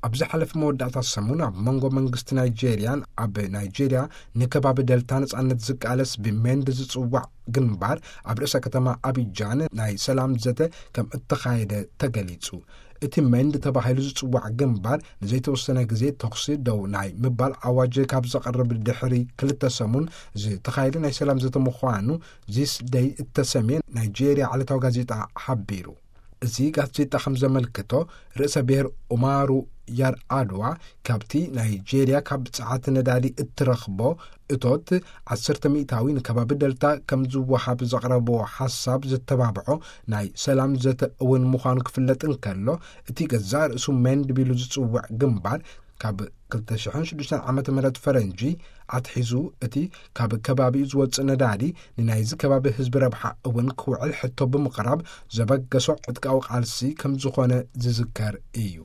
ኣብ ዝሓለፈ መወዳእታ ሰሙን ኣብ መንጎ መንግስቲ ናይጄርያን ኣብ ናይጄርያ ንከባቢ ደልታ ነጻነት ዝቃለስ ብሜንድ ዝጽዋዕ ግንባር ኣብ ርእሰ ከተማ ኣቢጃን ናይ ሰላም ዘተ ከም እተኻየደ ተገሊጹ። እቲ ሜንድ ተባሂሉ ዝጽዋዕ ግንባር ንዘይተወሰነ ግዜ ተኹሲ ደው ናይ ምባል ኣዋጅ ካብ ዘቕርብ ድሕሪ ክልተ ሰሙን ዝተኻየደ ናይ ሰላም ዘተ ምዃኑ ዚስ ደይ እተሰምየ ናይጄርያ ዕለታዊ ጋዜጣ ሓቢሩ። እዚ ጋዜጣ ከም ዘመልክቶ፣ ርእሰ ብሔር ኡማሩ ያር ኣድዋ ካብቲ ናይጄርያ ካብ ጸዓት ነዳዲ እትረኽቦ እቶት ዓሰርተ ሚእታዊ ንከባቢ ደልታ ከም ዝወሃብ ዘቕረብዎ ሓሳብ ዝተባብዖ ናይ ሰላም ዘተ እውን ምዃኑ ክፍለጥ እንከሎ፣ እቲ ገዛእ ርእሱ ሜንድ ቢሉ ዝጽውዕ ግንባር ካብ ክልተ ሽሕን ሽዱሽተን ዓመተ ምህረት ፈረንጂ ኣትሒዙ እቲ ካብ ከባቢኡ ዝወጽእ ነዳዲ ንናይዚ ከባቢ ህዝቢ ረብሓ እውን ክውዕል ሕቶ ብምቕራብ ዘበገሶ ዕጥቃዊ ቃልሲ ከም ዝኾነ ዝዝከር እዩ።